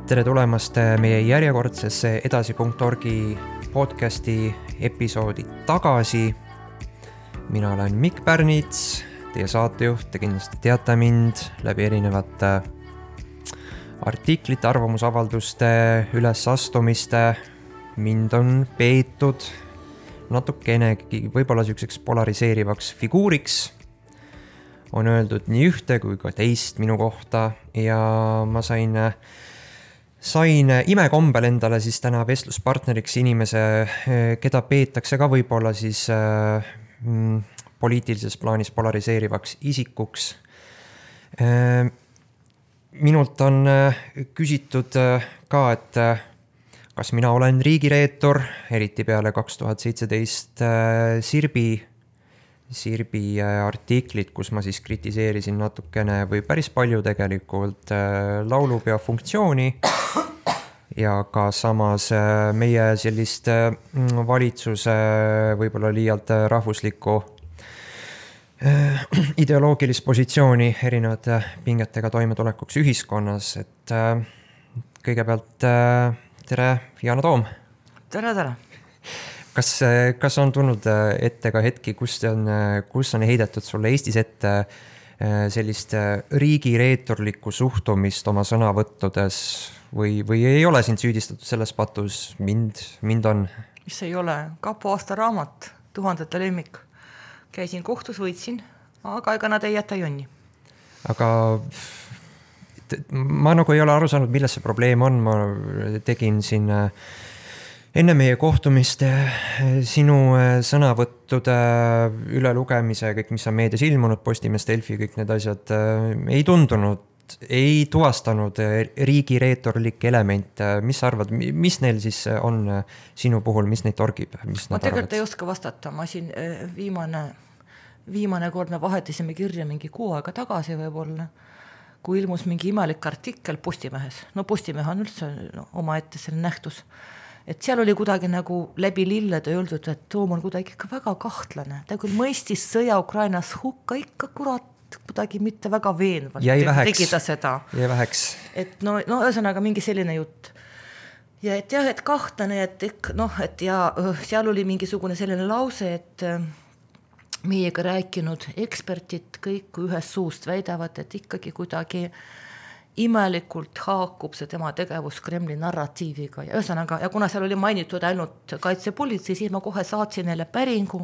Tere tulemast meie järjekordsesse edasi.orgi podcasti episoodi tagasi. Mina olen Mikk Pärnits, teie saatejuht, te kindlasti teate mind läbi erinevate artiklite, arvamusavalduste, ülesastumiste. Mind on peetud natukenegi võib-olla selliseks polariseerivaks figuuriks. On öeldud nii ühte kui ka teist minu kohta ja ma sain imekombel endale siis täna vestluspartneriks inimese, keda peetakse ka võib-olla siis poliitilises plaanis polariseerivaks isikuks. Minult on küsitud ka, et kas mina olen riigireetur, eriti peale 2017 Sirbi artiklit, kus ma siis kritiseerisin natukene või päris palju tegelikult laulupeo funktsiooni ja ka samas meie sellist valitsuse võib-olla liialt rahvuslikku ideoloogilist positsiooni erinevate pingetega toimetulekuks ühiskonnas. Et kõigepealt tere, Yana Toom! Tere! Kas on tulnud ette ka hetki, kus on heidetud sulle Eestis ette sellist riigireeturlikku suhtumist oma sõnavõttudes või ei ole sind süüdistatud selles patus? Mind on. Mis ei ole? Kapo aastaraamat, 1000 lemmik. Käisin kohtus, võitsin, aga ega nad ei jäta jonni. Aga ma nagu ei ole aru saanud, milles see probleem on. Ma tegin siin enne meie kohtumist sinu sõnavõttude ülelugemise, kõik, mis on meedias ilmunud, Postimees, Delfi, kõik need asjad ei tuvastanud riigireeturlikke elemente. Mis arvad, mis neil siis on sinu puhul, mis neid torgib? Ma tegelikult ei oska vastata. Ma siin viimane kord me vahetasime kirja mingi kuu aega tagasi võib-olla, kui ilmus mingi imelik artikkel Postimehes. No Postimehe on üldse oma ette selle nähtus. Et seal oli kuidagi nagu läbi lillede öeldud, et Toom on kuidagi ikka väga kahtlane. Ta küll mõistis sõja Ukrainas hukka ikka kurat kuidagi mitte väga veenvalt. Tegi ta seda. Jäi väheks. Et no ühesõnaga mingi selline jutt. Ja et jah, et kahtlane, et seal oli mingisugune selline lause, et meiega rääkinud ekspertid kõik ühest suust väidavad, et ikkagi kuidagi imelikult haakub see tema tegevus Kremli narratiiviga. Ja ühesõnaga, ja kuna seal oli mainitud ainult kaitsepolitsei, siis ma kohe saatsin neile päringu,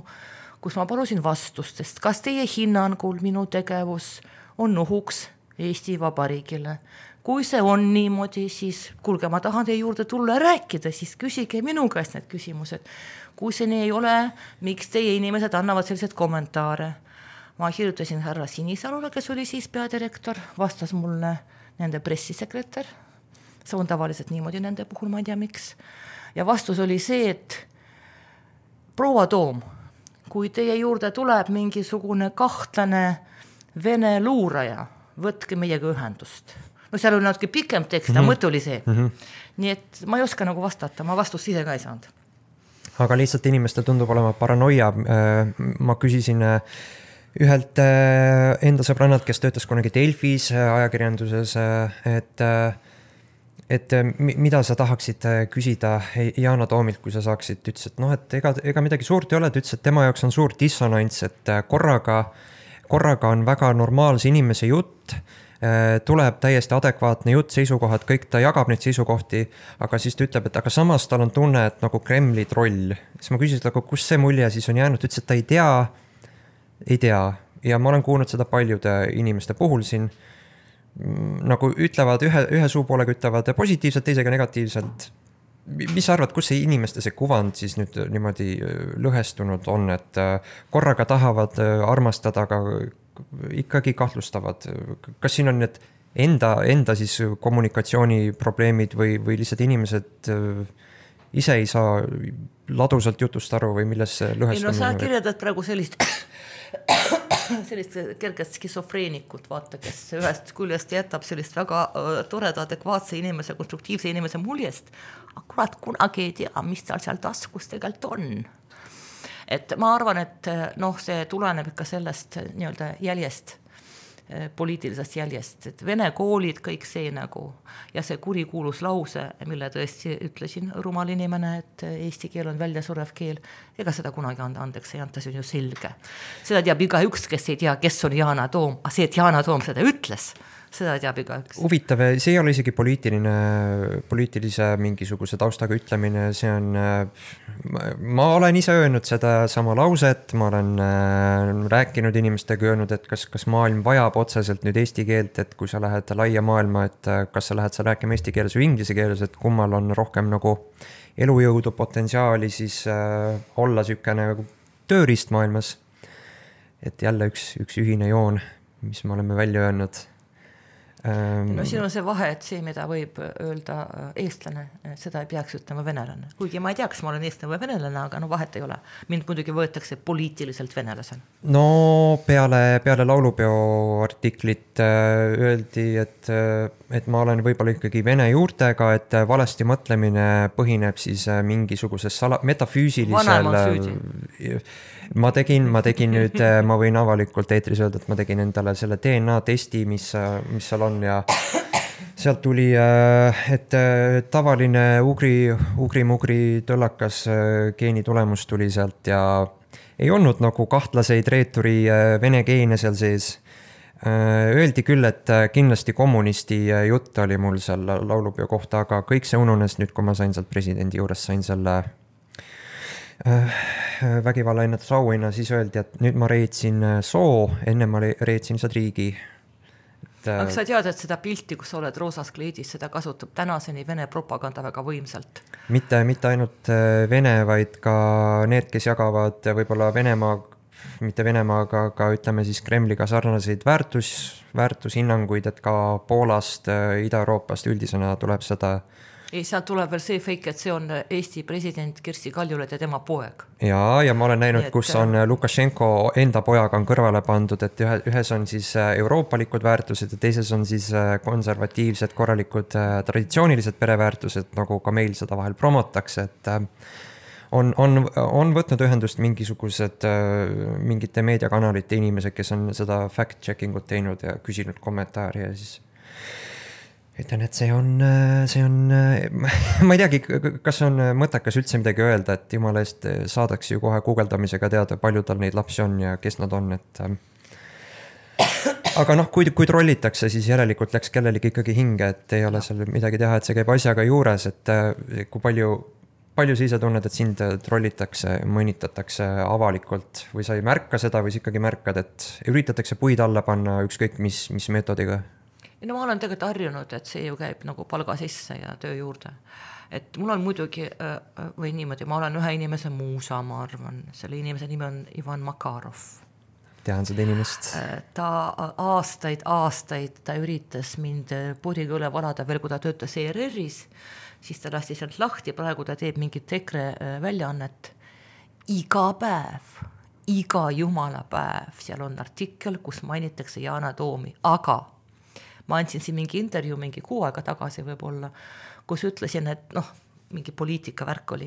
kus ma palusin vastust, sest kas teie hinnangul minu tegevus on ohuks Eesti Vabariigile? Kui see on niimoodi, siis kuulge, ma tahan teie juurde tulla rääkida, siis küsige minu käest need küsimused. Kui see nii ei ole, miks teie inimesed annavad sellised kommentaare? Ma kirjutasin härra Sinisalule, kes oli siis peadirektor, vastas mulle nende pressisekretär. See on tavaliselt niimoodi nende puhul, ma ei tea miks. Ja vastus oli see, et proua Toom, kui teie juurde tuleb mingisugune kahtlane vene luuraja, võtke meiega ühendust. No seal oli natuke pikem tekst, mõte oli see. Nii et ma ei oska nagu vastata, ma vastust ise ka ei saanud. Aga lihtsalt inimestel tundub olema paranoia. Ma küsisin ühelt enda sõbrannalt, kes töötas kunagi Delfis ajakirjanduses, et mida sa tahaksid küsida Yana Toomilt, kui sa saaksid, ütles, et ega midagi suurt ei ole, ütles, et tema jaoks on suur dissonants, et korraga on väga normaalse inimese jutt, tuleb täiesti adekvaatne jutt, seisukohad, kõik ta jagab neid seisukohti, aga siis ta ütleb, et aga samas tal on tunne, et nagu Kremli troll. Siis ma küsisin, aga kus see mulje siis on jäänud, ütles, et ta ei tea. Ja ma olen kuulnud seda paljude inimeste puhul siin, nagu ütlevad ühe suupoolega ütlevad positiivselt, teisega negatiivselt. Mis arvad, kus see inimeste see kuvand siis nüüd niimoodi lõhestunud on, et korraga tahavad armastada, aga ikkagi kahtlustavad? Kas siin on need enda siis kommunikatsiooniprobleemid või lihtsalt inimesed ise ei saa ladusalt jutust aru või milles see lõhestamine? Sa kirjeldad praegu sellist kergest skisofreenikut, vaata, kes ühest küljest jätab sellist väga toreda, adekvaatse inimese, konstruktiivse inimese muljest, akurat kunagi ei tea, mis seal taskus tegelikult on. Et ma arvan, et see tuleneb ikka sellest nii-öelda jäljest, poliitilisest jäljest, et vene koolid, kõik see nagu ja see kurikuulus lause, mille tõesti ütlesin rumal inimene, et eesti keel on väljasurev keel, ega seda kunagi andeks ei anta, see on ju selge. Seda teab igaüks, kes ei tea, kes on Yana Toom, aga see, et Yana Toom seda ütles, seda teab igaüks. Huvitav, see ei ole isegi poliitilise mingisuguse taustaga ütlemine, see on, ma olen ise öelnud seda sama lauset, ma olen rääkinud inimestega, öelnud, et kas maailm vajab otseselt nüüd eesti keelt, et kui sa lähed laia maailma, et kas sa lähed sa rääkima eesti keeles või inglise keeles, et kummal on rohkem nagu elujõudu, potentsiaali, siis olla sükene tööriist maailmas. Et jälle üks ühine joon, mis me oleme välja öelnud. No siin on see vahe, et see, mida võib öelda eestlane, seda ei peaks ütlema venelane. Kuigi ma ei tea, kas ma olen eestlane või venelane, aga no vahet ei ole. Mind muidugi võetakse poliitiliselt venelasel. No peale laulupeo artiklit öeldi, et ma olen võib-olla ikkagi vene juurtega, et valesti mõtlemine põhineb siis mingisuguses metafüüsilisel... Vanem on süüdi. Ma tegin nüüd, ma võin avalikult eetris öelda, et ma tegin endale selle DNA testi, mis seal on ja sealt tuli, et tavaline ugri-mugri tõllakas geeni tulemus tuli sealt ja ei olnud nagu kahtlaseid reeturi vene geene seal sees. Öeldi küll, et kindlasti kommunisti jutt oli mul seal laulupeo kohta, aga kõik see ununes nüüd, kui ma sain sealt presidendi juures, sain selle vägivalla ennetusauhinna, siis öeldi, et nüüd ma reetsin soo, enne ma reetsin lihtsalt riigi. Aga sa tead, et seda pilti, kus sa oled roosas kleidis, seda kasutab tänaseni Vene propaganda väga võimsalt. Mitte ainult Vene, vaid ka need, kes jagavad võib-olla mitte Venemaaga, aga ütleme siis Kremliga sarnaseid väärtushinnanguid, et ka Poolast, Ida-Euroopast üldisena tuleb seda. Ei, sealt tuleb veel see fake, et see on Eesti president Kersti Kaljulaid ja tema poeg. Ja ma olen näinud, kus on Lukašenko enda pojaga on kõrvale pandud, et ühes on siis euroopalikud väärtused ja teises on siis konservatiivsed, korralikud traditsioonilised pereväärtused, nagu ka meil seda vahel promotakse, et on võtnud ühendust mingite meediakanalite inimesed, kes on seda fact-checking ut teinud ja küsinud kommentaari ja siis ütlen, et see on, ma ei teagi, kas on mõttekas üldse midagi öelda, et jumala eest saadakse ju kohe guugeldamisega teada, palju tal neid lapsi on ja kes nad on, et aga kui trollitakse, siis järelikult läks kellelegi ikkagi hinge, et ei ole seal midagi teha, et see käib asjaga juures, et kui palju sa ise tunned, et sind trollitakse, mõnitatakse avalikult või sa ei märka seda või sa ikkagi märkad, et üritatakse puid alla panna ükskõik mis meetodiga? No ma olen tegelikult harjunud, et see ju käib nagu palga sisse ja töö juurde. Et mul on muidugi, või niimoodi, ma olen ühe inimese muusa, ma arvan, selle inimese nimi on Ivan Makarov. Tean seda inimest. Ta aastaid ta üritas mind puriga üle valada veel, kui ta töötas ERR-is, siis ta lasti sealt lahti, praegu ta teeb mingit EKRE väljaannet. Iga päev, iga jumala päev, seal on artikkel, kus mainitakse Yana Toomi, aga ma andsin siin mingi intervjuu mingi 6 aega tagasi võib-olla, kus ütlesin, et mingi poliitika värk oli.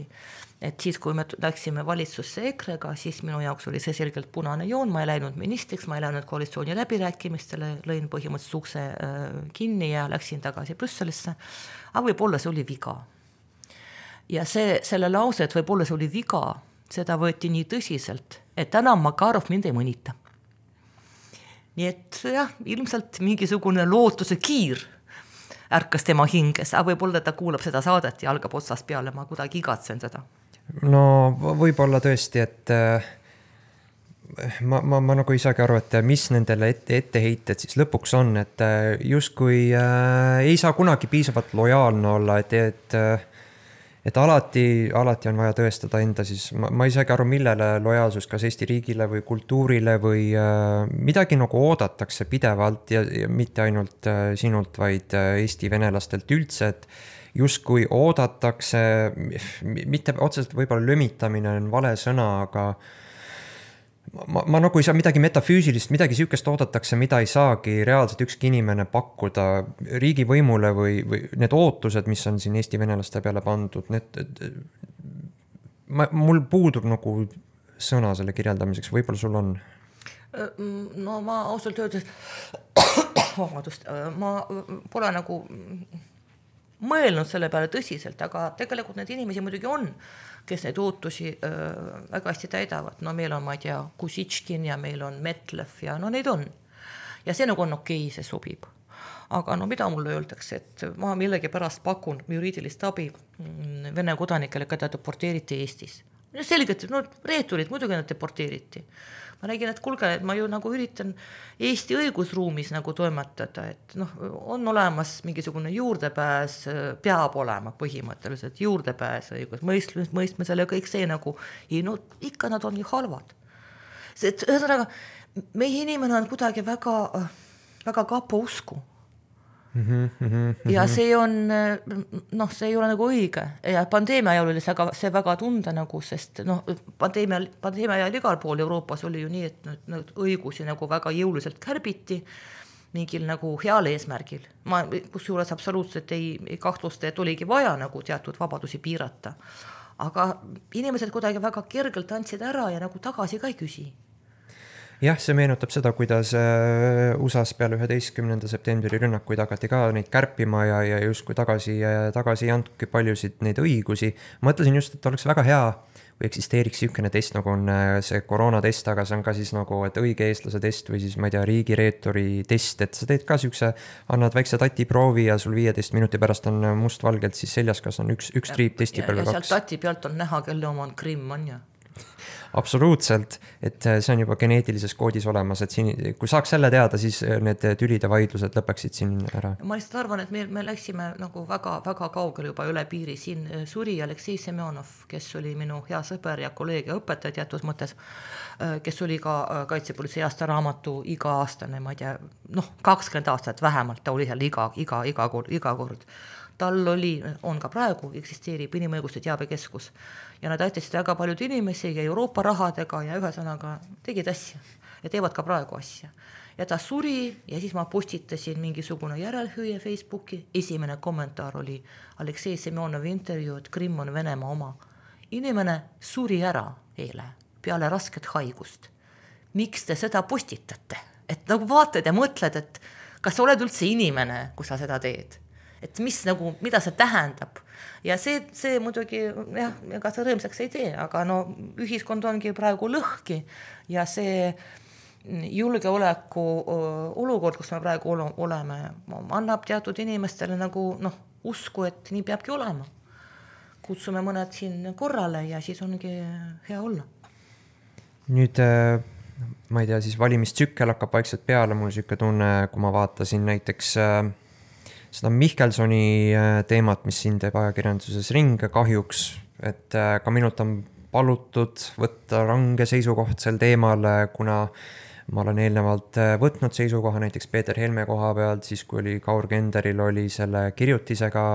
Et siis, kui me läksime valitsusse EKRE-ga, siis minu jaoks oli see selgelt punane joon, ma ei läinud ministriks, ma ei läinud koalitsiooni läbirääkimistele, lõin põhimõtteliselt ukse kinni ja läksin tagasi Brüsselisse. Aga võib-olla see oli viga. Ja selle lause, et võib-olla see oli viga, seda võeti nii tõsiselt, et täna Makarov mind ei mõnita. Nii et jah, ilmselt mingisugune lootuse kiir ärkas tema hinges, aga võib-olla ta kuulab seda saadet ja algab otsast peale, ma kuidagi igatsen seda. No võib-olla tõesti, et ma nagu ei saagi aru, et mis nendele etteheited siis lõpuks on, et justkui ei saa kunagi piisavalt lojaalne olla, et alati on vaja tõestada enda siis, ma ei saagi aru, millele lojaalsus, kas Eesti riigile või kultuurile või midagi nagu oodatakse pidevalt ja mitte ainult sinult, vaid Eesti venelastelt üldse, et justkui oodatakse, mitte otseselt võib-olla lömitamine on vale sõna, aga ma nagu ei saa midagi metafüüsilist, midagi sihukest oodatakse, mida ei saagi reaalselt ükski inimene pakkuda riigivõimule või need ootused, mis on siin Eesti venelaste peale pandud, mul puudub nagu sõna selle kirjeldamiseks, võib-olla sul on? no ma ausalt öeldes vabandust, ma pole nagu mõelnud selle peale tõsiselt, aga tegelikult need inimesi muidugi on, kes neid ootusi väga hästi täidavad. No meil on, ma ei tea, Kusitškin ja meil on Metlev ja no neid on. Ja see nagu on okei, see sobib. Aga no mida mulle öeldakse, et ma millegi pärast pakun juriidilist abi Vene kodanikele, keda deporteeriti Eestis. Selgelt, no reeturid, muidugi nad deporteeriti. Ma räägin, et kuulge, et ma ju nagu üritan Eesti õigusruumis nagu toimetada, et noh, on olemas mingisugune juurdepääs, peab olema põhimõtteliselt juurdepääs õigusmõistmisele ja kõik see nagu, no ikka nad on ju halvad. Ühesõnaga, meie inimene on kuidagi väga, väga kapo usku. Ja see on, noh, see ei ole nagu õige ja pandeemia ajal oli see väga tunda nagu, sest noh, pandeemia ajal igal pool Euroopas oli ju nii, et nüüd õigusi nagu väga jõuliselt kärbiti mingil nagu heal eesmärgil. Ma kusjuures absoluutselt ei kahtlusta, et oligi vaja nagu teatud vabadusi piirata. Aga inimesed kuidagi väga kergelt andsid ära ja nagu tagasi ka ei küsi. Jah, see meenutab seda, kuidas USAs peale 11. septembri rünnakuid hakati ka neid kärpima ja justkui tagasi ei andudki paljusid neid õigusi. Mõtlesin just, et oleks väga hea, kui eksisteeriks niisugune test, nagu on see koroonatest, aga see on ka siis nagu, et õige eestlase test või siis, ma ei tea, riigireetori test, et sa teed ka niisuguse, annad väikse tatiproovi ja sul 15 minuti pärast on mustvalgelt siis seljas, kas on üks triip testi peal või 2. Ja sealt tati pealt on näha, kelle oma on Krimm on ja. Absoluutselt, et see on juba geneetilises koodis olemas, et siin, kui saaks selle teada, siis need tülid ja vaidlused lõpeksid siin ära. Ma lihtsalt arvan, et me läksime nagu väga, väga kaugele juba üle piiri. Siin suri Aleksei Semjonov, kes oli minu hea sõber ja kolleeg ja õpetaja teatud mõttes, kes oli ka kaitsepolitsei aastaraamatu iga-aastane, ma ei tea, noh, 20 aastat vähemalt, ta oli seal iga kord. Tal on ka praegu, eksisteerib inimõiguste teabekeskus ja nad aitasid väga paljud inimesi ja Euroopa rahadega ja ühesõnaga tegid asja ja teevad ka praegu asja. Ja ta suri ja siis ma postitasin mingisugune järelhüüe Facebooki. Esimene kommentaar oli Aleksei Semjonovi intervjuu, et Krimm on Venemaa oma. Inimene suri ära eile peale rasket haigust. Miks te seda postitate? Et nagu vaatad ja mõtled, et kas sa oled üldse inimene, kui sa seda teed? Et mida see tähendab ja see muidugi jah, ega see rõõmsaks ei tee, aga no ühiskond ongi praegu lõhki ja see julgeoleku olukord, kus me praegu oleme, annab teatud inimestele nagu noh, usku, et nii peabki olema. Kutsume mõned siin korrale ja siis ongi hea olla. Nüüd ma ei tea, siis valimistsükkel hakkab vaikselt peale, mul siuke tunne, kui ma vaatasin näiteks seda Mihkelsoni teemat, mis siin teeb ajakirjanduses ringe kahjuks, et ka minult on palutud võtta range seisukoht sel teemal, kuna ma olen eelnevalt võtnud seisukoha näiteks Peeter Helme koha pealt, siis kui oli Kaur Kenderil oli selle kirjutisega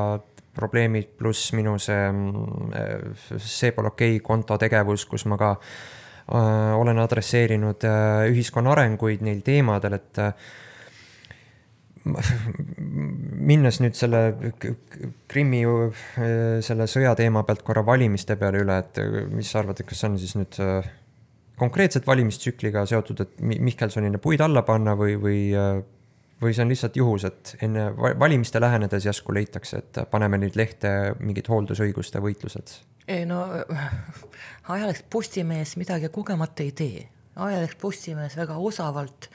probleemid, pluss minu see pole okei konto tegevus, kus ma ka olen adresseerinud ühiskonna arenguid neil teemadel, et minnes nüüd selle Krimmi selle sõja teema pealt korra valimiste peale üle, et mis sa arvad, et kas on siis nüüd konkreetselt valimistsükliga seotud, et Mihkelsonile puid alla panna või see on lihtsalt juhus, et enne valimiste lähenedes järsku leitakse, et paneme nüüd lehte mingid hooldusõiguste võitlused? Ei no, ajaleht Postimees midagi kogemata ei tee. Ajaleht Postimees väga osavalt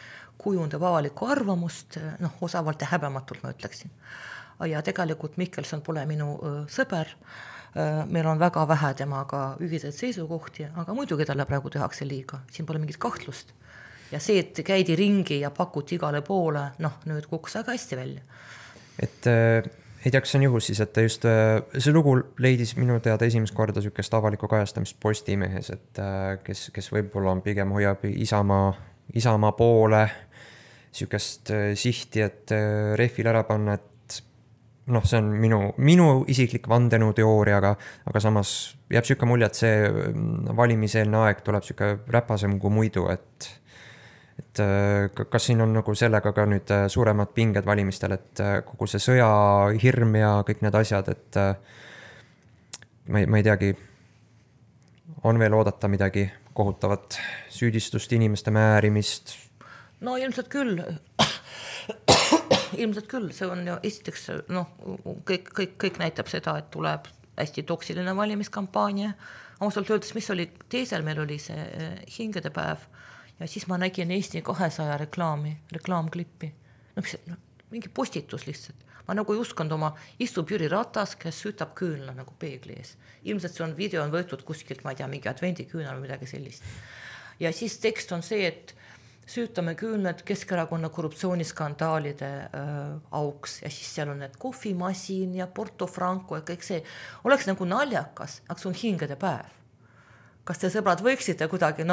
kujundab avalikku arvamust, noh, osavalt ja häbematult ma ütleksin. Ja tegelikult Mihkelson pole minu sõber, meil on väga vähe temaga ühiseid seisukohti, aga muidugi talle praegu tehakse liiga, siin pole mingit kahtlust. Ja see, et käidi ringi ja pakuti igale poole, noh, nüüd kukkus väga hästi välja. Et ei tea, kas see on juhus siis, et just see lugu leidis minu teada esimest korda sükest avalikku kajastamist Postimehes, et kes võib-olla on pigem hoiab Isamaa poole sükest sihti, et rehvil ära panna, et noh, see on minu isiklik vandenõuteooria, aga samas jääb süke mulje, et see valimiseelne aeg tuleb süke räpasem kui muidu, et kas siin on nagu sellega ka nüüd suuremad pinged valimistel, et kogu see sõja hirm ja kõik need asjad, et ma ei teagi, on veel oodata midagi kohutavat süüdistust, inimeste määrimist? No ilmselt küll. Ilmselt küll, see on ju esiteks, noh, kõik näitab seda, et tuleb hästi toksiline valimiskampaania. Ausalt öeldes, mis oli teisel, meil oli see hingedepäev ja siis ma nägin Eesti 200 reklaamklippi. Mingi postitus lihtsalt. Ma nagu ei uskunud oma, istub Jüri Ratas, kes süütab küünla nagu peegli ees. Ilmselt see on video on võetud kuskilt, ma ei tea, mingi advendiküünal või midagi sellist. Ja siis tekst on see, et süütame küünlad Keskerakonna korruptsiooniskandaalide auks ja siis seal on need kohvimasin ja Porto Franco ja kõik see. Oleks nagu naljakas, aga see on hingede päev. Kas te sõbrad võiksite kuidagi,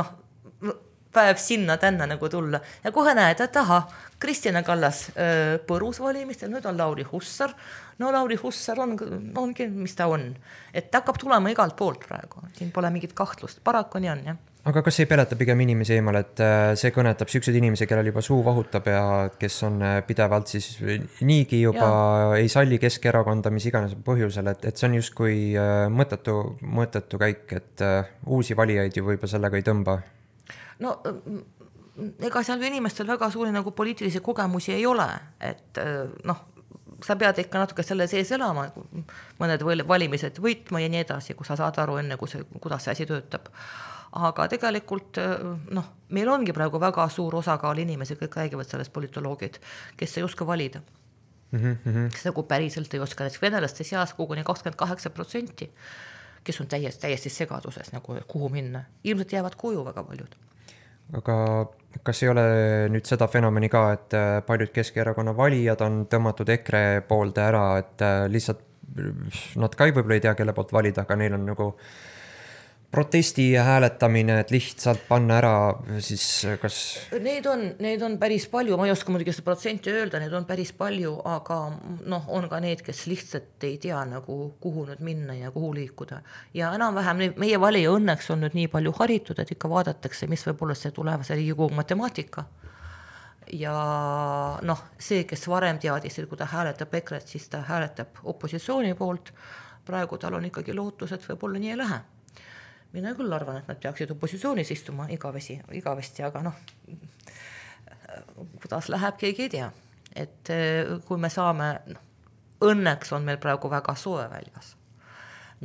päev sinna tänna nagu tulla ja kohe näed, et Kristina Kallas põrus valimistel, nüüd on Lauri Hussar. No Lauri Hussar ongi, mis ta on. Et ta hakkab tulema igalt poolt praegu, siin pole mingit kahtlust, paraku nii on, jah. Aga kas ei peleta pigem inimesi eemal, et see kõnetab siuksed inimesi, kellel juba suu vahutab ja kes on pidevalt siis niigi juba ei salli Keskerakonda, mis iganes põhjusel, et see on justkui mõttetu käik, et uusi valijaid ju võib-olla sellega ei tõmba? No ega seal inimestel väga suuri nagu poliitilisi kogemusi ei ole, et sa pead ikka natuke selle sees elama, mõned valimised võitma ja nii edasi, kui sa saad aru enne, kuidas see asi töötab. Aga tegelikult meil ongi praegu väga suur osakaal inimesi, kõik räägivad sellest politoloogid, kes ei oska valida. Kes nagu päriselt ei oska, näiteks venelaste seas koguni 28%, kes on täiesti segaduses, nagu kuhu minna. Ilmselt jäävad koju väga paljud. Aga kas ei ole nüüd seda fenomeni ka, et paljud Keskerakonna valijad on tõmmatud EKRE poolde ära, et lihtsalt nad ka võib-olla ei tea, kelle poolt valida, aga neil on nagu protesti ja hääletamine, et lihtsalt panna ära, siis kas... Neid on päris palju, ma ei oska muidugi seda protsenti öelda, neid on päris palju, aga on ka need, kes lihtsalt ei tea nagu kuhu nüüd minna ja kuhu liikuda. Ja enam-vähem meie valija õnneks on nüüd nii palju haritud, et ikka vaadatakse, mis võib olla see tulevase Riigikogu matemaatika. Ja see, kes varem teadis, et kui ta hääletab EKRE, siis ta hääletab opositsiooni poolt. Praegu tal on ikkagi lootus, et võib olla nii ei lähe. Mina küll arvan, et nad peaksid opositsioonis istuma igavesti, aga kuidas läheb, keegi ei tea. Et kui me saame, õnneks on meil praegu väga soe väljas.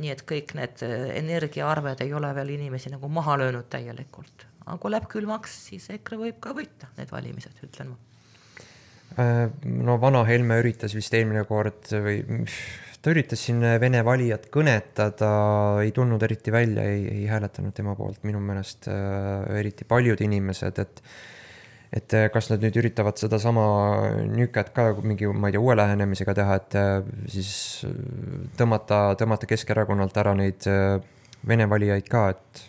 Nii et kõik need energiaarved ei ole veel inimesi nagu maha löönud täielikult. Aga kui läheb külmaks, siis EKRE võib ka võita need valimised, ütlen ma. Vana Helme üritas vist eelmine kord või... Ta üritas siin Vene valijat kõnetada, ei tulnud eriti välja, ei hääletanud tema poolt minu meelest eriti paljud inimesed, et kas nad nüüd üritavad seda sama nüket ka mingi, ma ei tea, uue lähenemisega teha, et siis tõmmata Keskerakonnalt ära neid Vene valijaid ka, et...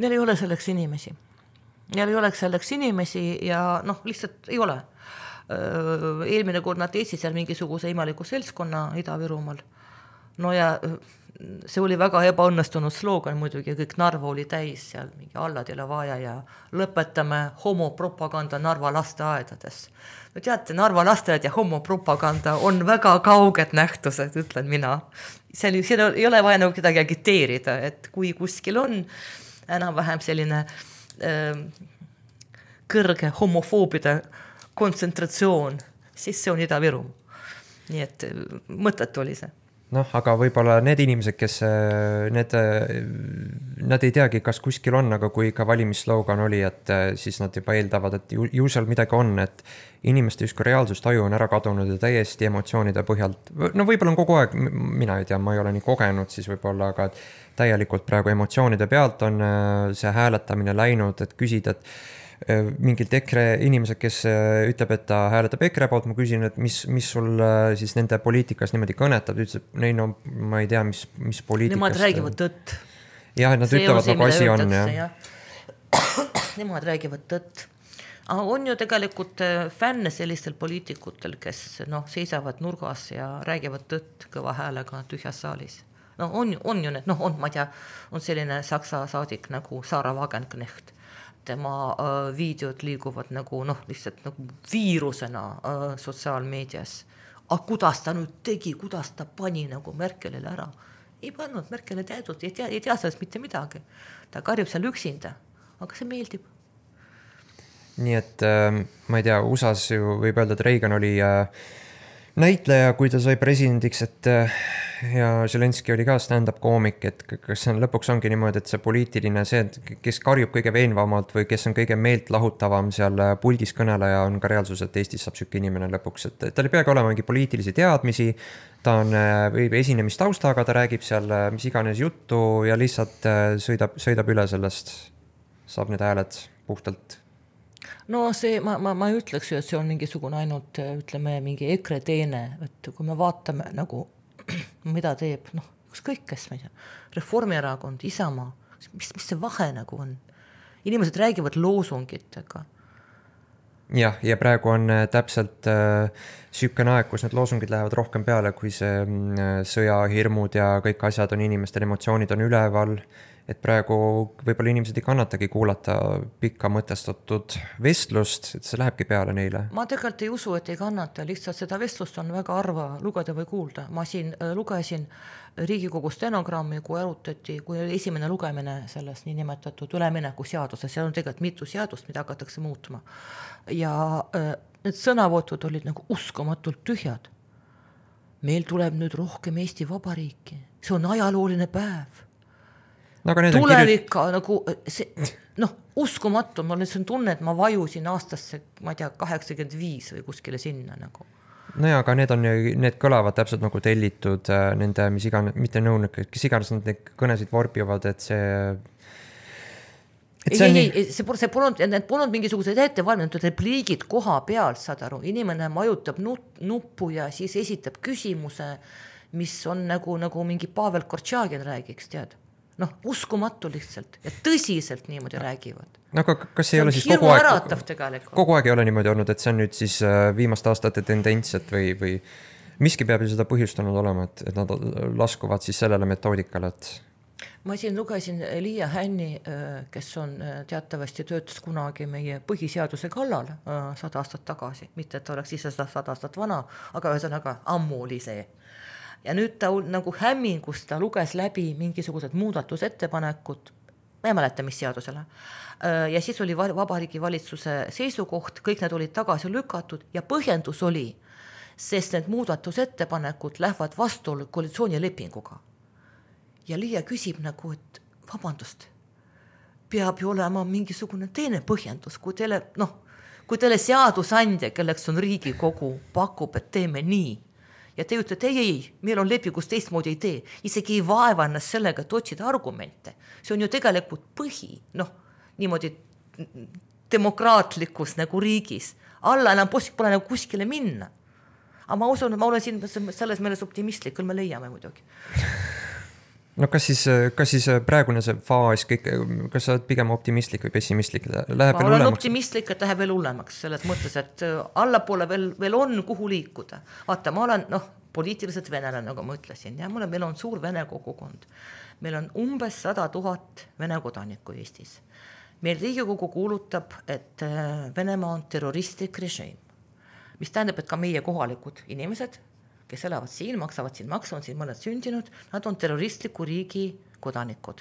Neil ei ole selleks inimesi. Neil ei oleks selleks inimesi ja lihtsalt ei ole. Eelmine kord nad teesid seal mingisuguse imaliku seltskonna Ida-Virumaal. No ja see oli väga ebaõnnestunud sloogan muidugi, kõik Narva oli täis seal, mingi alladele vaja ja lõpetame homopropaganda Narva lasteaedades. No teate, Narva lasteaed ja homopropaganda on väga kauged nähtused, ütlen mina. Seal ei ole vaja nagu kedagi agiteerida, et kui kuskil on enam-vähem selline kõrge homofoobide kontsentratsioon, siis see on Ida-Virum. Nii et mõttetu oli see. Aga võib-olla need inimesed, kes nad ei teagi, kas kuskil on, aga kui ka valimissloogan oli, et siis nad juba eeldavad, et ju seal midagi on, et inimeste justkui reaalsustaju on ära kadunud ja täiesti emotsioonide põhjalt. Võib-olla on kogu aeg, mina ei tea, ma ei ole nii kogenud siis võib-olla, aga täielikult praegu emotsioonide pealt on see hääletamine läinud, et küsida, et mingilt EKRE inimesed, kes ütleb, et ta hääletab EKRE poolt, ma küsin, et mis sul siis nende poliitikas niimoodi kõnetab, ütles, et neil on, ma ei tea, mis poliitikast... Nemad räägivad tõtt. Jah, nad ütlevad, nagu asi on. Nemad räägivad tõtt. Aga on ju tegelikult fänne sellistel poliitikutel, kes seisavad nurgas ja räägivad tõtt kõva häälega tühjas saalis. On ju need, ma tea, on selline saksa saadik nagu Sarah Wagenknecht. Tema videod liiguvad nagu lihtsalt nagu viirusena sotsiaalmeedias. Aga kuidas ta nüüd tegi, kuidas ta pani nagu Merkelile ära? ei pannud Merkel teadnud, ei tea sellest mitte midagi. Ta karjub seal üksinda, aga see meeldib. Nii et ma ei tea, USAs ju võib öelda, et Reagan oli näitleja, kui ta sai presidendiks, et ja Zelenski oli ka stand-up koomik, et kas see lõpuks ongi niimoodi, et see poliitiline, see, kes karjub kõige veenvamalt või kes on kõige meelt lahutavam seal puldis kõneleja, on ka reaalsus, et Eestis saab sükke inimene lõpuks, et tal ei peagi olema mingi poliitilisi teadmisi, ta on või esinemistaustaga, ta räägib seal mis iganes juttu ja lihtsalt sõidab üle sellest, saab need hääled puhtalt. No see, ma ei ütleks ju, et see on mingisugune ainult, ütleme, mingi EKRE teene, et kui me vaatame nagu, mida teeb, noh, ükskõik kes, ma ei tea, Reformierakond, Isamaa, mis see vahe nagu on? Inimesed räägivad loosungitega. Jah, ja praegu on täpselt sükene aeg, kus need loosungid lähevad rohkem peale, kui see sõjahirmud ja kõik asjad on, inimestel emotsioonid on üleval, et praegu võib-olla inimesed ei kannatagi kuulata pikka mõtestatud vestlust, et see lähebki peale neile. Ma tegelikult ei usu, et ei kannata, lihtsalt seda vestlust on väga harva lugeda või kuulda. Ma siin lugesin Riigikogu stenogrammi, kui arutati, kui esimene lugemine sellest niinimetatud ülemineku seaduses, seal on tegelikult mitu seadust, mida hakatakse muutma. Ja need sõnavõtud olid nagu uskumatult tühjad. Meil tuleb nüüd rohkem Eesti Vabariiki. See on ajalooline päev. Tulevika nagu see, noh, uskumatu, ma olen tunne, et ma vajusin aastasse, ma ei tea, 85 või kuskile sinna nagu. No ja, aga need kõlavad täpselt nagu tellitud nende, mis iganes, mitte nõunik, kes iganes need kõnesid vorbivad, et see... See polnud mingisugused ettevalminud repliigid koha pealt, saad aru, inimene majutab nuppu ja siis esitab küsimuse, mis on nagu mingi Pavel Kortšagin räägiks, tead. Noh, uskumatu lihtsalt ja tõsiselt niimoodi räägivad. No aga kas ei ole siis kogu aeg ei ole niimoodi olnud, et see on nüüd siis viimaste aastate tendents, või miski peab ju seda põhjustanud olema, et nad laskuvad siis sellele metoodikale, et... Ma siin lugesin Liia Hänni, kes on teatavasti töötas kunagi meie põhiseaduse kallal 100 aastat tagasi, mitte et oleks ise 100 aastat vana, aga ühesõnaga ammu oli see. Ja nüüd ta nagu hämmingus, ta luges läbi mingisugused muudatusettepanekud, ma ei mäleta, mis seadusele. Ja siis oli Vabariigi valitsuse seisukoht, kõik need olid tagasi lükatud ja põhjendus oli, sest need muudatusettepanekud lähevad vastuollu koalitsioonilepinguga. Ja Liia küsib nagu, et vabandust, peab ju olema mingisugune teine põhjendus, kui teile seadusandja, kelleks on Riigikogu, pakub, et teeme nii. Ja te ütlete, ei, meil on lepingus teistmoodi ei tee. Isegi ei vaeva ennast sellega, et otsida argumente. See on ju tegelikult põhi, niimoodi demokraatlikus nagu riigis. Alla enam pole nagu kuskile minna. Aga ma usun, ma olen siin selles meeles optimistlik, küll me leiame muidugi. No kas siis praegune see faas, kas sa oled pigem optimistlik või pessimistlik? Ma olen optimistlik, et läheb veel hullemaks selles mõttes, et allapoole veel on kuhu liikuda. Vaata, ma olen poliitiliselt venelane, nagu ma ütlesin, ja meil on suur vene kogukond. Meil on umbes 100 000 vene kodanikku Eestis. Meil Riigikogu kuulutab, et Venemaa on terroristlik režiim, mis tähendab, et ka meie kohalikud inimesed, kes elavad siin, maksavad siin maksu, on siin mõned sündinud, nad on terroristliku riigi kodanikud.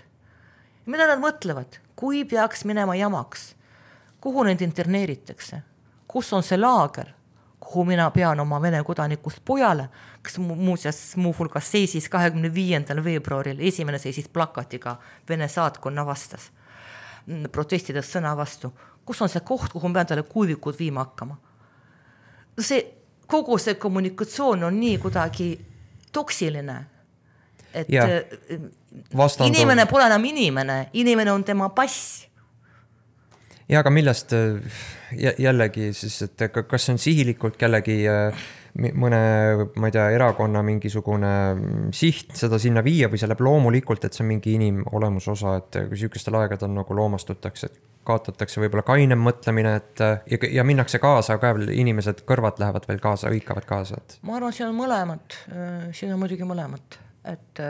Ja mida nad mõtlevad? Kui peaks minema jamaks? Kuhu neid interneeritakse? Kus on see laager? Kuhu mina pean oma vene kodanikust pojale, kes muuhulgas seisis 25. veebruaril, esimene seisis plakatiga Vene saatkonna vastas, protestides sõna vastu. Kus on see koht, kuhu pean talle kuivikud viima hakkama? Kogu see kommunikatsioon on nii kuidagi toksiline, et inimene pole enam inimene on tema pass. Ja aga millest jällegi siis, et kas on sihilikult kellegi mõne, ma ei tea, erakonna mingisugune siht seda sinna viia või see läheb loomulikult, et see on mingi inimolemusosa, et kui sükestel aegadel nagu loomastutakse, et kaotatakse võib-olla kainem mõtlemine, et ja minnakse kaasa, ka inimesed kõrvad lähevad veel kaasa, hõikavad kaasa. Et... Ma arvan, siin on mõlemad, siin on muidugi mõlemad, et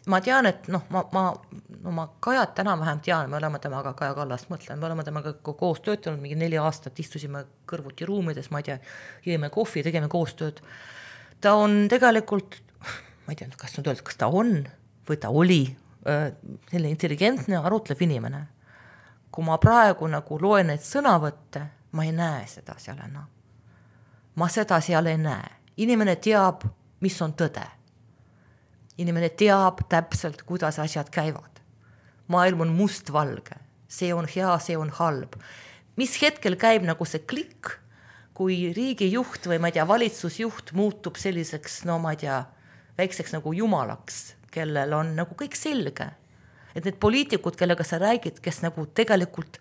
ma tean, et ma Kajat täna vähem tean, me oleme temaga Kaja Kallast mõtlen, me oleme temaga koos töötanud mingi 4 aastat, istusime kõrvuti ruumides, ma ei tea, jõime kohvi, tegime koostööd. Ta on tegelikult ma ei tea, kas nüüd öelda, kas ta on või ta oli selline intelligentne, arutlev inimene. Kui ma praegu nagu loen neid sõnavõtte, ma ei näe seda seal enam. Ma seda seal ei näe. Inimene teab, mis on tõde. Inimene teab täpselt, kuidas asjad käivad. Maailm on mustvalge. See on hea, see on halb. Mis hetkel käib nagu see klikk, kui riigijuht või ma ei tea, valitsusjuht muutub selliseks, no ma ei tea, väikseks nagu jumalaks, kellel on nagu kõik selge. Et need poliitikud, kellega sa räägid, kes nagu tegelikult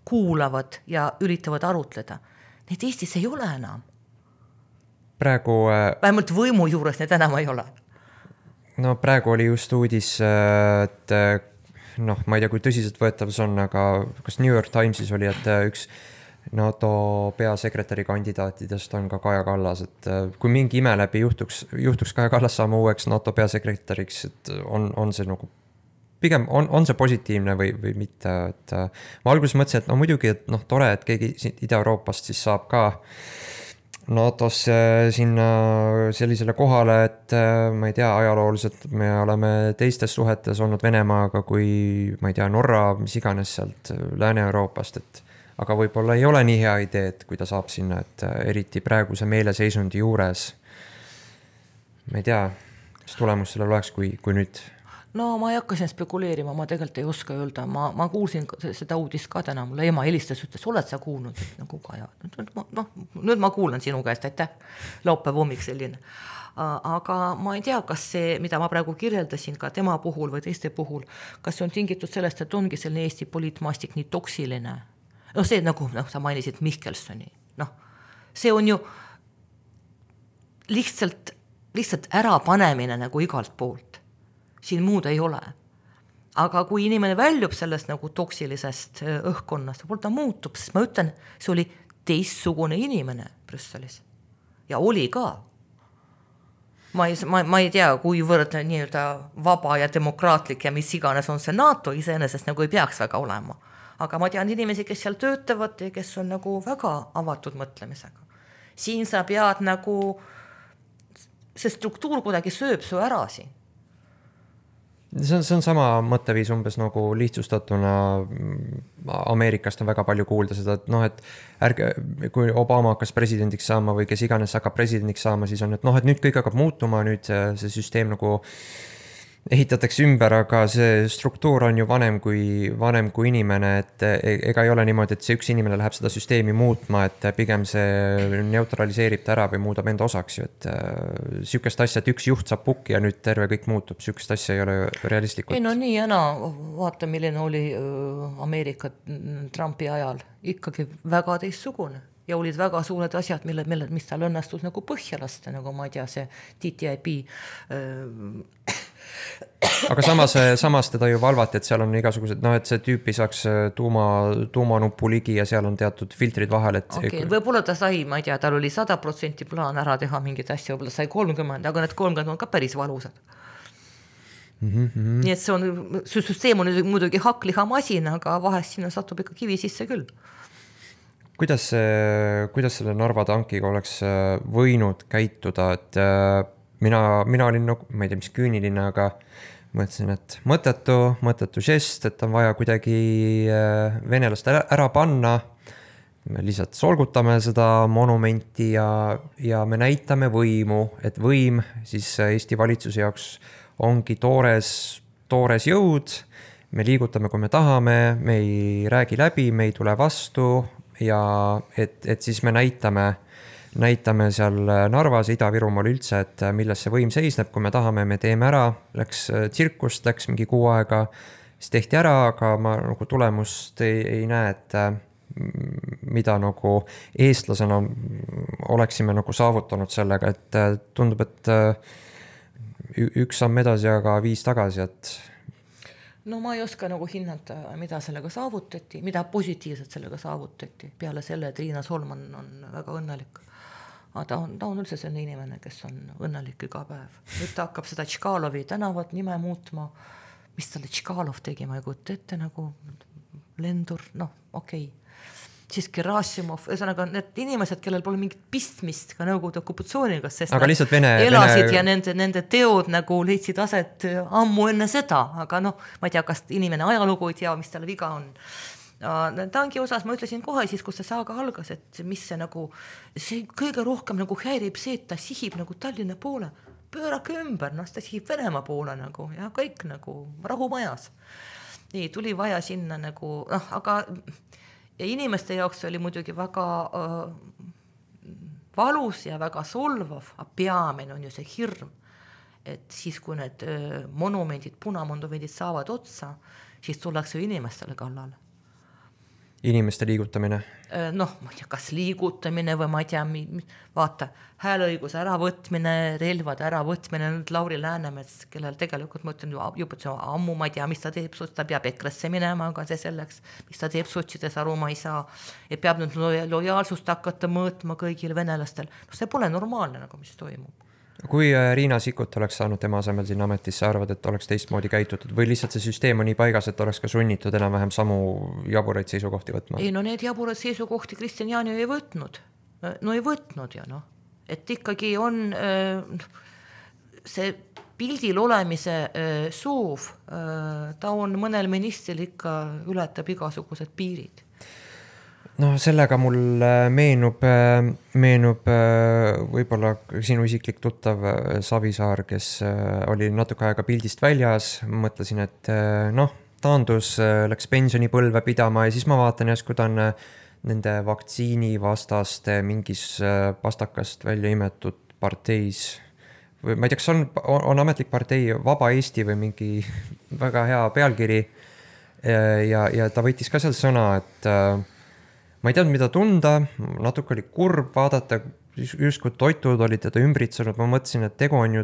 kuulavad ja üritavad arutleda, need Eestis ei ole enam. Praegu... Vähemalt võimu juures need enam ei ole. No praegu oli just uudis, et noh, ma ei tea, kui tõsiselt võetav see on, aga kas New York Timesis oli, et üks NATO peasekretäri kandidaatidest on ka Kaja Kallas, et kui mingi ime läbi juhtuks Kaja Kallas saama uueks NATO peasekretäriks, et on see nagu pigem on see positiivne või mitte, et ma alguses mõtlesin, et no muidugi, et noh, tore, et keegi Ida-Euroopast siis saab ka NATO-sse sinna sellisele kohale, et ma ei tea, ajalooliselt me oleme teistes suhetes olnud Venemaaga kui, ma ei tea, Norra, mis iganes sealt Lääne-Euroopast, et aga võib-olla ei ole nii hea idee, et kui ta saab sinna, et eriti praeguse meeleseisundi juures, ma ei tea, mis tulemus sellel oleks, kui nüüd... No ma ei hakka siin spekuleerima, ma tegelikult ei oska öelda, ma kuulsin seda uudist ka täna, mulle ema helistas, ütles, oled sa kuulnud, nagu Kaja, nüüd ma kuulan sinu käest, aitäh, laupäev hommik selline. Aga ma ei tea, kas see, mida ma praegu kirjeldasin ka tema puhul või teiste puhul, kas see on tingitud sellest, et ongi selline Eesti poliitmaastik nii toksiline. No see nagu, sa mainisid Mihkelsoni, see on ju lihtsalt ärapanemine nagu igalt poolt. Siin muud ei ole. Aga kui inimene väljub sellest nagu toksilisest õhkkonnast, võib-olla ta muutub, sest ma ütlen, see oli teistsugune inimene Brüsselis. Ja oli ka. Ma ei tea, kuivõrd nii-öelda vaba ja demokraatlik ja mis iganes on see NATO iseenesest nagu ei peaks väga olema. Aga ma tean inimesi, kes seal töötavad ja kes on nagu väga avatud mõtlemisega. Siin sa pead nagu, see struktuur kuidagi sööb su ära siin. See on sama mõtteviis umbes nagu lihtsustatuna Ameerikast on väga palju kuulda seda, et noh, et ärge, kui Obama hakkas presidendiks saama või kes iganes hakkab presidendiks saama, siis on, et noh, et nüüd kõik hakkab muutuma, nüüd see süsteem nagu ehitatakse ümber, aga see struktuur on ju vanem kui inimene, et ega ei ole niimoodi, et see üks inimene läheb seda süsteemi muutma, et pigem see neutraliseerib ta ära või muudab enda osaks ju, et sükest asja, et üks juht saab pukki ja nüüd terve kõik muutub, sükest asja ei ole realistlikult. Ei no nii jäna, vaata milline oli Ameerika Trumpi ajal, ikkagi väga teistsugune. Ja olid väga suured asjad, mis tal õnnestus nagu põhja lasta, nagu ma ei tea, see TTIP. Aga samas teda ju valvati, et seal on igasugused, noh, et see tüüpi saaks tuumanupu ligi ja seal on teatud filtrid vahel, et... Okay, võib-olla ta sai, ma ei tea, tal oli 100% plaan ära teha mingit asja, võib-olla sai 30, aga need 30 on ka päris valusad. Nii et see süsteem on muidugi hakkliha-masin, aga vahest sinna satub ikka kivi sisse küll. Kuidas selle Narva tankiga oleks võinud käituda, et mina olin, ma ei tea, mis küüniline, aga mõtlesin, et mõttetu žest, et on vaja kuidagi venelast ära panna, me lihtsalt solgutame seda monumenti ja me näitame võimu, et võim siis Eesti valitsuse jaoks ongi toores jõud, me liigutame, kui me tahame, me ei räägi läbi, me ei tule vastu ja et siis me näitame seal Narvas, Ida-Virumaal üldse, et milles see võim seisneb, kui me tahame, me teeme ära, läks tsirkust, läks mingi 6 aega, siis tehti ära, aga ma nagu tulemust ei näe, et mida nagu eestlasena oleksime nagu saavutanud sellega, et tundub, et üks samm edasi, aga 5 tagasi, et no ma ei oska nagu hinnata, mida sellega saavutati, mida positiivselt sellega saavutati, peale selle, et Riina Solman on väga õnnelik. Aga ta on üldse selline inimene, kes on õnnelik iga päev. Nüüd ta hakkab seda Tškalovi tänavat nime muutma. Mis talle Tškalov tegi, ma ei kujuta ette nagu lendur, okei. siis Gerassimov, ühesõnaga need inimesed, kellel pole mingit pistmist ka Nõukogude okupatsiooniga, sest aga lihtsalt elasid ja nende teod nagu leidsid aset ammu enne seda, aga noh, ma ei tea, kas inimene ajalugu ei tea, mis tal viga on. Tangi osas ma ütlesin kohe siis, kus see saaga algas, et mis see nagu, see kõige rohkem nagu häirib see, et ta sihib nagu Tallinna poole, pöörake ümber, noh, ta sihib Venemaa poole nagu ja kõik nagu rahumajas. Nii, tuli vaja sinna nagu, noh, aga ja inimeste jaoks oli muidugi väga valus ja väga solvav, aga peamine on ju see hirm, et siis, kui need monumendid, punamonumendid saavad otsa, siis tullakse inimestele kallale. Inimeste liigutamine? Noh, ma ei tea, kas liigutamine või ma ei tea, vaata, hääleõiguse äravõtmine, relvade äravõtmine, nüüd Lauri Läänemets, kellel tegelikult ma ütlen juba ammu, ma ei tea, mis ta teeb, ta peab EKRE-sse minema, aga see selleks, mis ta teeb sotsides, aru ma ei saa, ja peab nüüd lojaalsust hakata mõõtma kõigil venelastel. No see pole normaalne, nagu mis toimub. Kui Riina Sikkut oleks saanud tema asemel siin ametisse, arvad, et oleks teistmoodi käitutud või lihtsalt see süsteem on nii paigas, et oleks ka sunnitud enam-vähem samu jaburaid seisukohti võtma? Ei, no need jaburaid seisukohti Kristjan Jaani ei võtnud. No ei võtnud ja noh, et ikkagi on see pildil olemise soov, ta on mõnel ministril ikka ületab igasugused piirid. No sellega mul meenub võib-olla sinu isiklik tuttav Savisaar, kes oli natuke aega pildist väljas, mõtlesin, et noh, taandus, läks pensionipõlve pidama ja siis ma vaatan järsku ta on nende vaktsiinivastaste mingis pastakast välja imetud parteis või ma ei tea, kas on ametlik partei Vaba Eesti või mingi väga hea pealkiri ja ta võttis ka seal sõna, et ma ei teadnud, mida tunda, natuke oli kurb vaadata, justkui toitud olid teda ümbritsenud, ma mõtlesin, et tegu on ju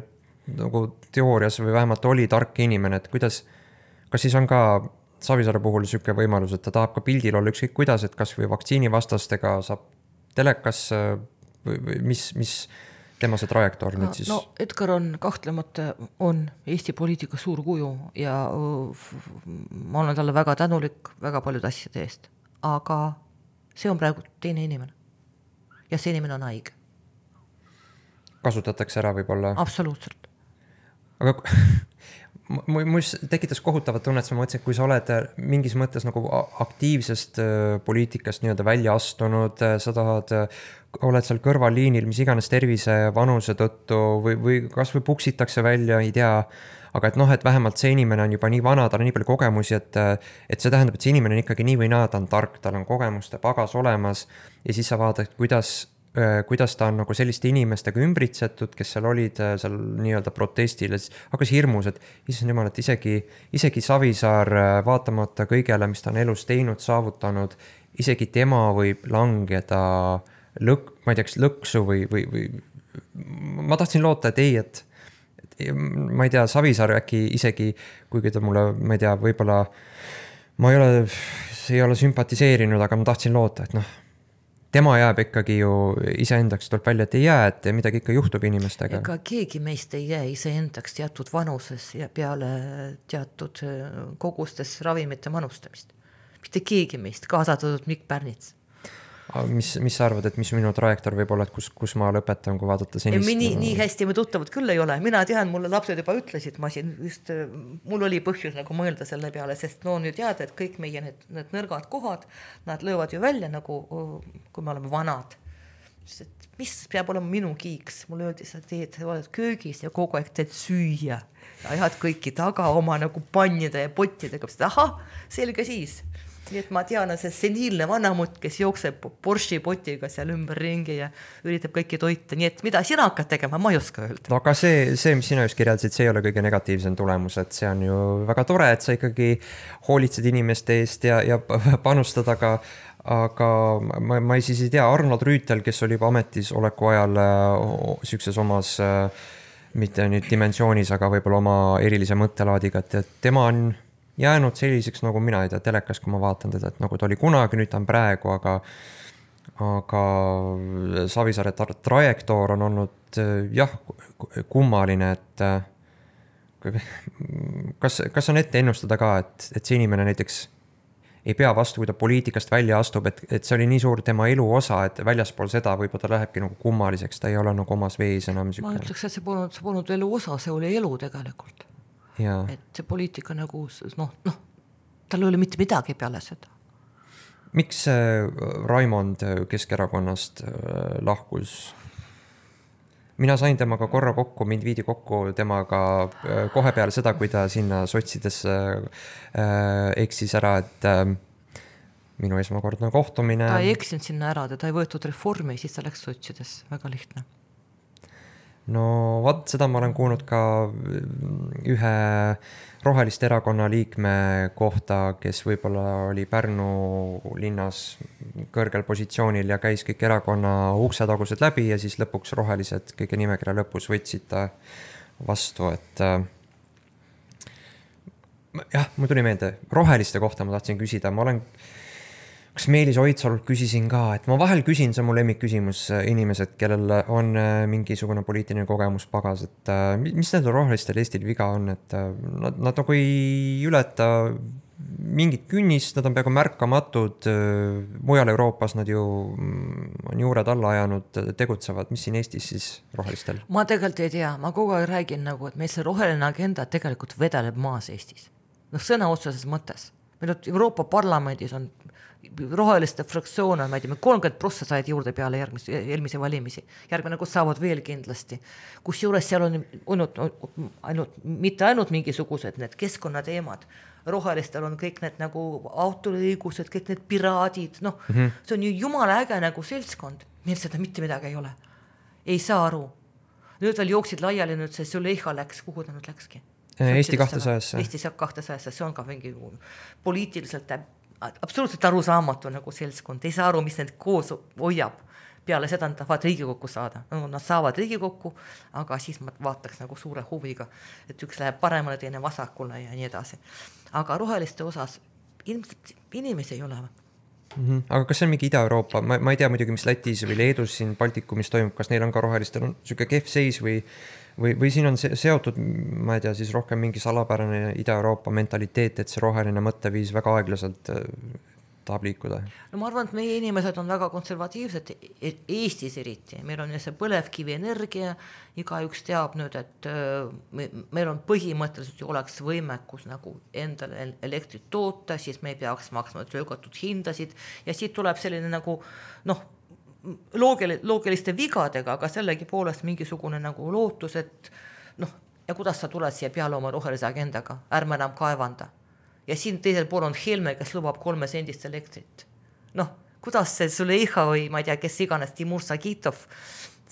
nagu teoorias või vähemalt oli tark inimene, et kas siis on ka Savisaare puhul niisugune võimalus, et ta tahab ka pildil olla ükskõik kuidas, et kas või vaktsiinivastastega saab telekas või mis tema see trajektoor nüüd siis? No Edgar on kahtlemata on Eesti poliitika suur kuju ja ma olen talle väga tänulik väga paljude asjade eest, aga see on praegu teine inimene. Ja see inimene on haige. Kasutatakse ära võib-olla? Absoluutselt. Aga mul tekitas kohutavat tunnet, ma mõtlesin, et kui sa oled mingis mõttes nagu aktiivsest poliitikast nii-öelda välja astunud, sa oled seal kõrvalliinil, mis iganes tervise vanuse tõttu või kas või puksitakse välja, ei tea, aga et noh, et vähemalt see inimene on juba nii vana, tal on nii palju kogemusi, et see tähendab, et see inimene on ikkagi nii või naa, ta on tark, tal on kogemuste pagas olemas ja siis sa vaatad, kuidas ta on nagu selliste inimestega ümbritsetud, kes seal olid seal nii-öelda protestil, hakkas hirmus, et issand jumal, et isegi Savisaar vaatamata kõigele, mis ta on elus teinud, saavutanud, isegi tema võib langeda ma ei teaks, lõksu või ma tahtsin loota, et ei, et ma ei tea, Savisaar äkki isegi, kuigi ta mulle, ma ei tea, võib-olla ma ei ole sümpatiseerinud, aga ma tahtsin loota, et noh, tema jääb ikkagi ju iseendaks, tuleb välja, et ei jää, et midagi ikka juhtub inimestega. Ega keegi meist ei jää iseendaks teatud vanuses ja peale teatud kogustes ravimite manustamist. Mitte keegi meist, kaasatud Mikk Pärnits. Mis sa arvad, et mis minu trajektoor võib olla, et kus ma lõpetan, kui vaadata senist? Nii hästi me tuttavad küll ei ole. Mina tean, mulle lapsed juba ütlesid, mul oli põhjus nagu mõelda selle peale, sest no on ju teada, et kõik meie need nõrgad kohad, nad löövad ju välja nagu, kui me oleme vanad. Et mis peab olema minu kiiks? Mulle öeldi, sa oled köögis ja kogu aeg teed süüa. Ajad kõiki taga oma nagu pannide ja pottidega. Aha, selge siis. Nii et ma tean, see seniilne vanamutt, kes jookseb Porsche potiga seal ümber ringi ja üritab kõiki toita. Nii et mida sina hakkad tegema, ma ei oska öelda. No aga see, mis sina just kirjeldasid, see ei ole kõige negatiivsem tulemus, et see on ju väga tore, et sa ikkagi hoolitsed inimeste eest ja panustada ka, aga ma siis ei tea, Arnold Rüütel, kes oli juba ametis oleku ajal sükses omas, mitte nüüd dimensioonis, aga võib-olla oma erilise mõttelaadiga, et tema on jäänud selliseks, nagu mina ei tea, telekas, kui ma vaatan teda, et nagu ta oli kunagi, nüüd ta on praegu, aga Savisaare trajektoor on olnud jah, kummaline, et kas on ette ennustada ka, et see inimene näiteks ei pea vastu, kui ta poliitikast välja astub, et see oli nii suur tema elu osa, et väljaspool seda võib-olla ta lähebki nagu kummaliseks, ta ei ole nagu omas vees enam ma ütleks, et see polnud elu osa, see oli elu tegelikult. Et see poliitika nagu, tal ei ole mitte midagi peale seda. Miks Raimond Keskerakonnast lahkus? Mina sain temaga korra kokku, mind viidi kokku temaga kohe peale seda, kui ta sinna sotsidesse eksis ära, et minu esmakordne kohtumine. Ta ei eksinud sinna ära, ta ei võetud reformi, siis ta läks sotsidesse, väga lihtne. No vaat seda ma olen kuulnud ka ühe Roheliste erakonna liikme kohta, kes võib-olla oli Pärnu linnas kõrgel positsioonil ja käis kõik erakonna uksetagused läbi ja siis lõpuks Rohelised kõige nimekirja lõpus võtsid ta vastu, et jah, mul tuli meelde, Roheliste kohta ma tahtsin küsida, ma olen kas Meelis Oidsalult küsisin ka, et ma vahel küsin, see on mu lemmikküsimus, inimesed, kellel on mingisugune poliitiline kogemus pagas, et mis need rohelistel Eestil viga on, et nad nagu ei ületa mingit künnist, nad on peaaegu märkamatud, mujal Euroopas nad ju on juured alla ajanud, tegutsevad, mis siin Eestis siis rohelistel? Ma tegelikult ei tea, ma kogu aeg räägin nagu, et meil see roheline agenda tegelikult vedeleb maas Eestis. Sõna otseses mõttes. Meil on Euroopa Parlamendis on roheliste fraktsioone, ma ei tea, 30% said juurde peale eelmise valimisi. Järgmine, kus saavad veel kindlasti. Kus juures seal on mitte ainult mingisugused need keskkonnateemad. Rohelistel on kõik need nagu autoõigused, kõik need piraadid. See on ju jumala äge nagu seltskond. Meil seda mitte midagi ei ole. Ei saa aru. Nüüd veel jooksid laiali, nüüd see Züleyxa läks, kuhu ta nüüd läkski? Eesti 200-sse. Eesti 200-sse, see on ka mingi poliitiliselt absoluutselt arusaamatu nagu seltskond, ei saa aru, mis need koos hoiab. Peale seda nad tahavad Riigikokku saada. Nad saavad Riigikokku, aga siis ma vaataks nagu suure huviga, et üks läheb paremale, teine vasakule ja nii edasi. Aga roheliste osas inimesi ei ole. Aga kas see on mingi Ida-Euroopa? Ma ei tea muidugi, mis Lätis või Leedus siin Baltikumis toimub, kas neil on ka rohelistel on selline kehv seis või siin on seotud, ma ei tea, siis rohkem mingi salapärane Ida-Euroopa mentaliteet, et see roheline mõtteviis väga aeglaselt tahab liikuda? No ma arvan, et meie inimesed on väga konservatiivsed, Eestis eriti. Meil on see põlevkivi energia, igaüks teab nüüd, et meil on põhimõtteliselt ju oleks võimekus nagu endale elektrit toota, siis me ei peaks maksma töögatud hindasid ja siit tuleb selline nagu loogiliste vigadega, aga sellegi poolest mingisugune nagu lootus, et ja kuidas sa tuled siia peale oma rohelise agendaga, ärme enam kaevanda. Ja siin teisel pool on Helme, kes lubab 3 sendist elektrit. Kuidas see Züleyxa või ma ei tea, kes iganes Timur Sagitov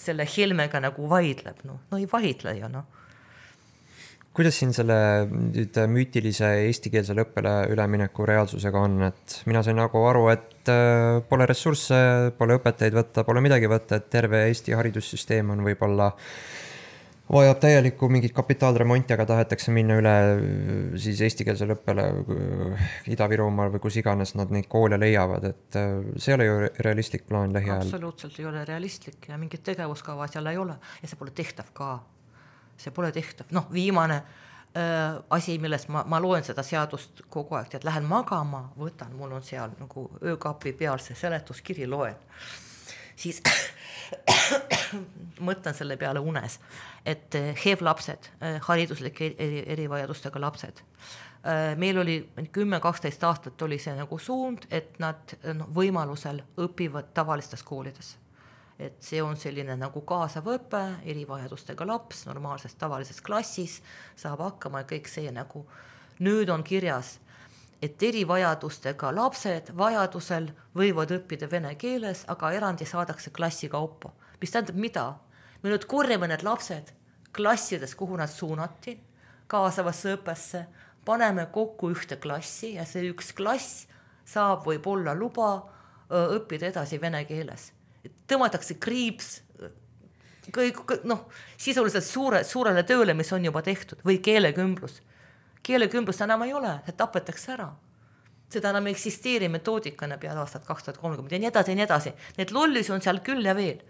selle Helmega nagu vaidleb? Ei vaidle ju, Kuidas siin selle müütilise eestikeelsele õppele ülemineku reaalsusega on, et mina sain nagu aru, et pole ressursse, pole õpetajaid võtta, pole midagi võtta, et terve Eesti haridussüsteem on võib-olla vajab täielikku mingit kapitaalremonti, aga tahetakse minna üle siis eestikeelsele õppele Ida-Virumaal või kus iganes nad neid koole leiavad, et see ei ole ju realistlik plaan lähiajal. Absoluutselt ei ole realistlik ja mingit tegevuskava seal ei ole ja see pole tehtav ka. See pole tehtav. Viimane asi, millest ma loen seda seadust kogu aeg, et lähen magama, võtan, mul on seal nagu öökapi peal see seletuskiri loen. Siis mõtlen selle peale unes, et HEV-lapsed, hariduslike erivajadustega lapsed. Meil oli 10-12 aastat oli see nagu suund, et nad võimalusel õpivad tavalistes koolides. Et see on selline nagu kaasav õpe, erivajadustega laps, normaalses tavalises klassis, saab hakkama ja kõik see nagu nüüd on kirjas, et erivajadustega lapsed vajadusel võivad õppida vene keeles, aga erandi saadakse klassi kaupa. Mis tähendab mida? Me nüüd korjame need lapsed klassides, kuhu nad suunati, kaasavasse õppesse, paneme kokku ühte klassi ja see üks klass saab võib-olla luba õppida edasi vene keeles. Tõmmatakse kriips sisuliselt suurele tööle, mis on juba tehtud või keelekümblus. Keelekümblust enam ei ole, see tapetakse ära. Seda enam eksisteeri metoodikana peale aastat 2030 ja nii edasi. Need lollis on seal küll ja veel.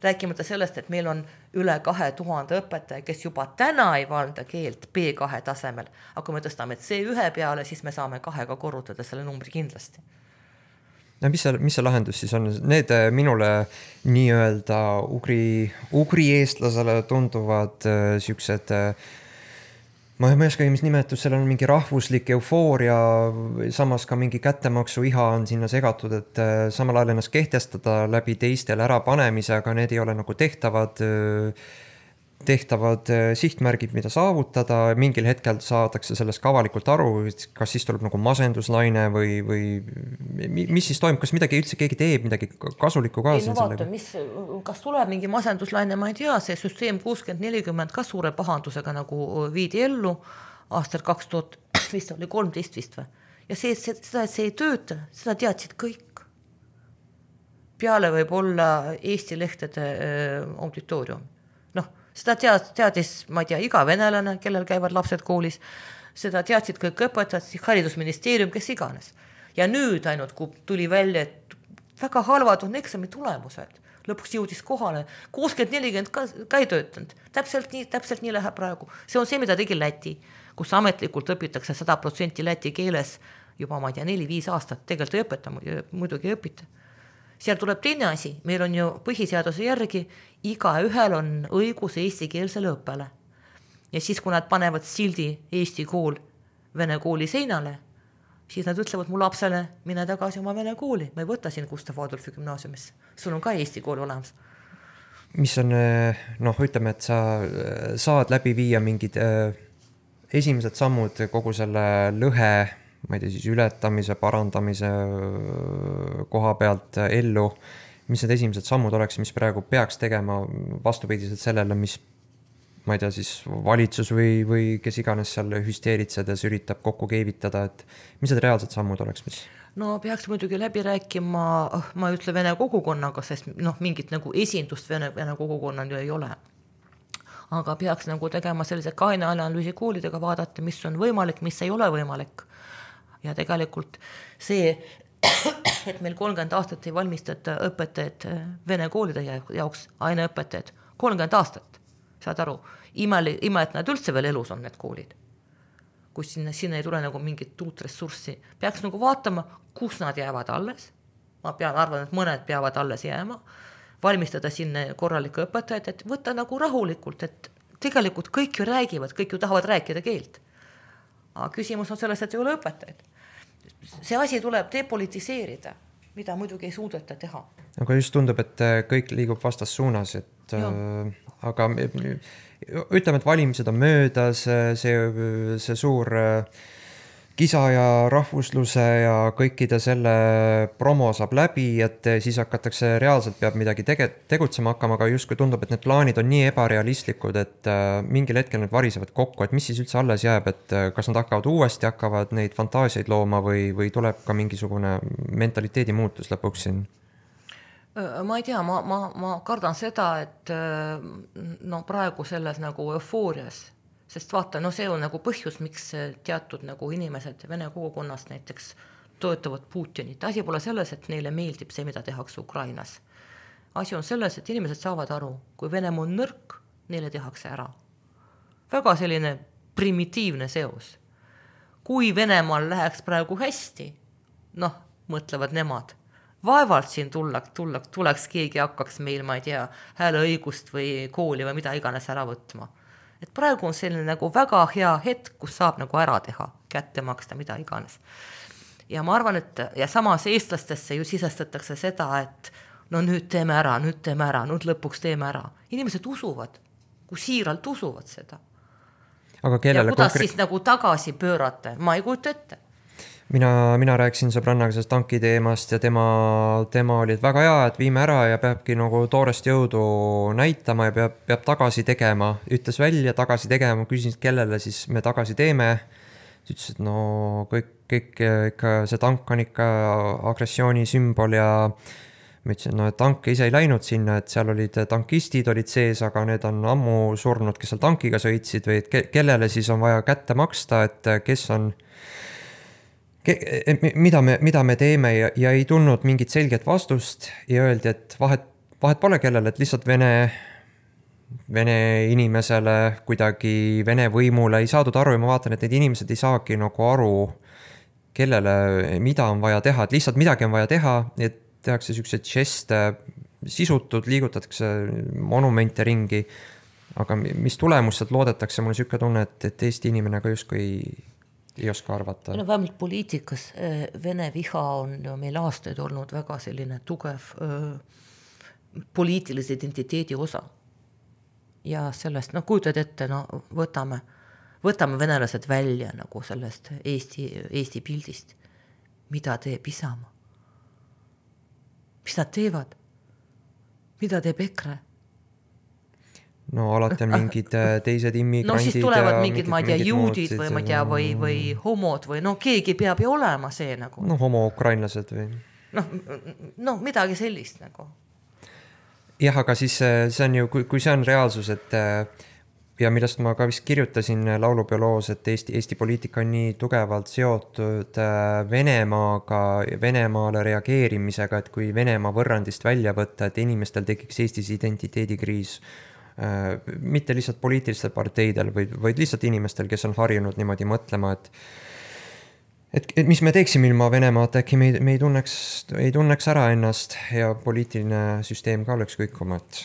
Rääkimata sellest, et meil on üle 2000 õpetaja, kes juba täna ei valda keelt B2 tasemel, aga kui me tõstame C1 peale, siis me saame 2-ga korrutada selle numbri kindlasti. No mis see lahendus siis on? Need minule nii-öelda ugri eestlasele tunduvad siuksed, ma ei oska, mis nimetus, seal on mingi rahvuslik eufooria, samas ka mingi kättemaksu iha on sinna segatud, et samal ajal ennast kehtestada läbi teistele ärapanemise, aga need ei ole nagu tehtavad sihtmärgid, mida saavutada, mingil hetkel saadakse sellest ka avalikult aru, kas siis tuleb nagu masenduslaine või mis siis toimub, kas midagi üldse keegi teeb, midagi kasulikku ka? Ei, no vaata, kas tuleb mingi masenduslaine, ma ei tea, see süsteem 60-40 ka suure pahandusega nagu viidi ellu aastal 2000, vist oli 13 vist või? Ja seda, et see ei tööta, seda teadsid kõik. Peale võib olla Eesti lehtede auditoorium. Noh, seda teadis, ma ei tea, iga venelane, kellel käivad lapsed koolis, seda teadsid kõik õpetajad, haridusministeerium, kes iganes. Ja nüüd ainult, kui tuli välja, et väga halvad on eksami tulemused, lõpuks jõudis kohale, 60-40 ka ei töötanud, täpselt nii läheb praegu. See on see, mida tegi Läti, kus ametlikult õpitakse 100% läti keeles juba, ma ei tea, 4-5 aastat, tegelikult ei õpeta, muidugi ei õpita. Seal tuleb teine asi, meil on ju põhiseaduse järgi, igaühel on õigus eestikeelsele õppele. Ja siis, kui nad panevad sildi Eesti kool vene kooli seinale, siis nad ütlevad mu lapsele, mine tagasi oma vene kooli, ma ei võta siin Gustav Adolfi gümnaasiumisse, sul on ka Eesti kool olemas. Mis on, ütleme, et sa saad läbi viia mingid esimesed sammud kogu selle lõhe, ma ei tea, siis ületamise, parandamise koha pealt ellu, mis need esimesed sammud oleks, mis praegu peaks tegema vastupidiselt sellele, mis, ma ei tea, siis valitsus või kes iganes seal hüsteeritsedes üritab kokku keevitada, et mis need reaalsed sammud oleks, mis? No peaks muidugi läbi rääkima, ma ütle vene kogukonnaga, sest mingit nagu esindust vene kogukonnal ju ei ole. Aga peaks nagu tegema sellise kaine analüüsi koolidega, vaadata, mis on võimalik, mis ei ole võimalik. Ja tegelikult see, et meil 30 aastat ei valmistata õpetajad vene koolide jaoks, aineõpetajad, 30 aastat, saad aru, ime, et nad üldse veel elus on need koolid, kus sinna ei tule nagu mingit uut ressurssi. Peaks nagu vaatama, kus nad jäävad alles, ma arvan, et mõned peavad alles jääma, valmistada sinna korralikke õpetajad, et võtta nagu rahulikult, et tegelikult kõik ju räägivad, kõik ju tahavad rääkida keelt. Aga küsimus on selles, et ei ole õpetajaid. See asi tuleb depolitiseerida, mida muidugi ei suudeta teha. Aga just tundub, et kõik liigub vastas suunas, et aga ütleme, et valimised on möödas, see suur kisa ja rahvusluse ja kõikide selle promo saab läbi, et siis hakatakse reaalselt peab midagi tegutsema hakkama, aga justkui tundub, et need plaanid on nii ebarealistlikud, et mingil hetkel need varisevad kokku, et mis siis üldse alles jääb, et kas nad hakkavad neid fantaasiaid looma või tuleb ka mingisugune mentaliteedi muutus lõpuks siin? Ma ei tea, ma kardan seda, et praegu selles nagu eufoorias, sest vaata, see on nagu põhjus, miks teatud nagu inimesed Vene kogukonnast näiteks toetavad Putinit. Asi pole selles, et neile meeldib see, mida tehakse Ukrainas. Asi on selles, et inimesed saavad aru, kui Venemaa on nõrk, neile tehakse ära. Väga selline primitiivne seos. Kui Venemaal läheks praegu hästi, mõtlevad nemad, vaevalt siin tuleks keegi hakkaks meil, ma ei tea, hääleõigust või kooli või mida iganes ära võtma. Et praegu on selline nagu väga hea hetk, kus saab nagu ära teha, kätte maksta, mida iganes. Ja ma arvan, et ja samas eestlastesse ju sisestatakse seda, et nüüd teeme ära, nüüd lõpuks teeme ära. Inimesed usuvad, kui siiralt usuvad seda. Aga kellele ja kuidas siis nagu tagasi pöörata, ma ei kujuta ette. Mina rääkisin sõbrannaga sellest tanki teemast ja tema oli väga hea, et viime ära ja peabki nagu toorest jõudu näitama ja peab tagasi tegema. Ütles välja tagasi tegema, küsin, kellele siis me tagasi teeme. Ütles, et kõik ikka see tank on ikka agressiooni sümbol ja ma ütlesin, et tank ise ei läinud sinna, et seal olid tankistid olid sees, aga need on ammu surnud, kes seal tankiga sõitsid või et kellele siis on vaja kätte maksta, et kes on mida me teeme ja ei tulnud mingit selget vastust ja öeldi, et vahet pole kellele, et lihtsalt Vene inimesele kuidagi Vene võimule ei saadud aru ja ma vaatan, et need inimesed ei saagi nagu aru, kellele, mida on vaja teha, et lihtsalt midagi on vaja teha, et tehakse sellised žeste, sisutud, liigutatakse monumente ringi, aga mis tulemused loodetakse, mul on selline tunne, et Eesti inimene ka justkui ei oska arvata. No vähemalt poliitikas Vene viha on ju meil aastaid olnud väga selline tugev poliitilise identiteedi osa. Ja sellest, kujutad ette, võtame venelased välja nagu sellest Eesti pildist. Mida teeb Isamaa? Mis nad teevad? Mida teeb EKRE? No alati on mingid teised immigrandid. No siis tulevad mingid, ma ei tea, juudid või ma ei tea, või homod või keegi peab ju olema see nagu. No homo-ukrainlased või. No midagi sellist nagu. Jah, aga siis see on ju, kui see on reaalsus, et ja millest ma ka vist kirjutasin laulupeoloos, et Eesti poliitika on nii tugevalt seotud Venemaaga, Venemaale reageerimisega, et kui Venemaa võrrandist välja võtta, et inimestel tekiks Eestis identiteedikriis, mitte lihtsalt poliitilistel parteidel, vaid lihtsalt inimestel, kes on harjunud niimoodi mõtlema, et mis me teeksime ilma Venemaat, äkki me ei tunneks ära ennast ja poliitiline süsteem ka oleks kõikuma, et